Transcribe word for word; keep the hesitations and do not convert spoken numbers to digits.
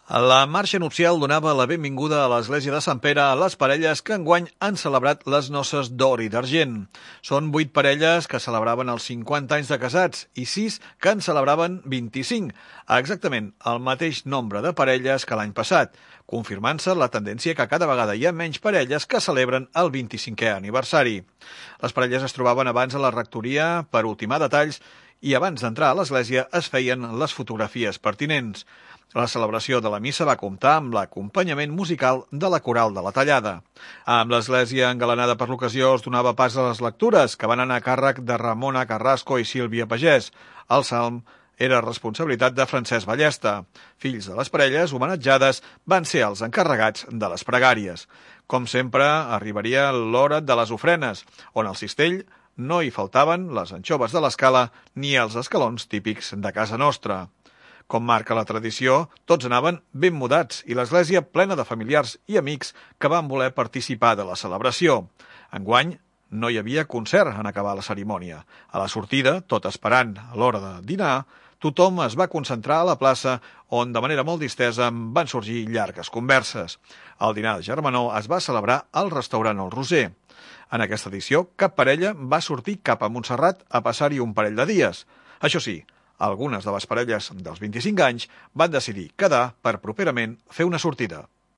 La marxa nupcial donava la benvinguda a l'església de Sant Pere a les parelles que enguany han celebrat les noces d'or i d'argent. Són vuit parelles que celebraven els cinquanta anys de casats i sis que en celebraven vint-i-cinc, exactament el mateix nombre de parelles que l'any passat, confirmant-se la tendència que cada vegada hi ha menys parelles que celebren el vint-i-cinquè aniversari. Les parelles es trobaven abans a la rectoria per ultimar detalls i abans d'entrar a l'església es feien les fotografies pertinents. La celebració de la missa va comptar amb l'acompanyament musical de la coral de la Tallada. Amb l'església engalanada per l'ocasió es donava pas a les lectures, que van anar a càrrec de Ramona Carrasco i Sílvia Pagès. El salm era responsabilitat de Francesc Ballesta. Fills de les parelles homenatjades van ser els encarregats de les pregàries. Com sempre, arribaria l'hora de les ofrenes, on al cistell no hi faltaven les anxoves de l'escala ni els escalons típics de casa nostra. Com marca la tradició, tots anaven ben mudats i l'església plena de familiars i amics que van voler participar de la celebració. Enguany no hi havia concert en acabar la cerimònia. A la sortida, tot esperant a l'hora de dinar, tothom es va concentrar a la plaça on de manera molt distesa van sorgir llargues converses. El dinar de germanor es va celebrar al restaurant El Roser. En aquesta edició, cap parella va sortir cap a Montserrat a passar-hi un parell de dies. Això sí, algunes de les parelles dels vint-i-cinc anys van decidir quedar per properament fer una sortida.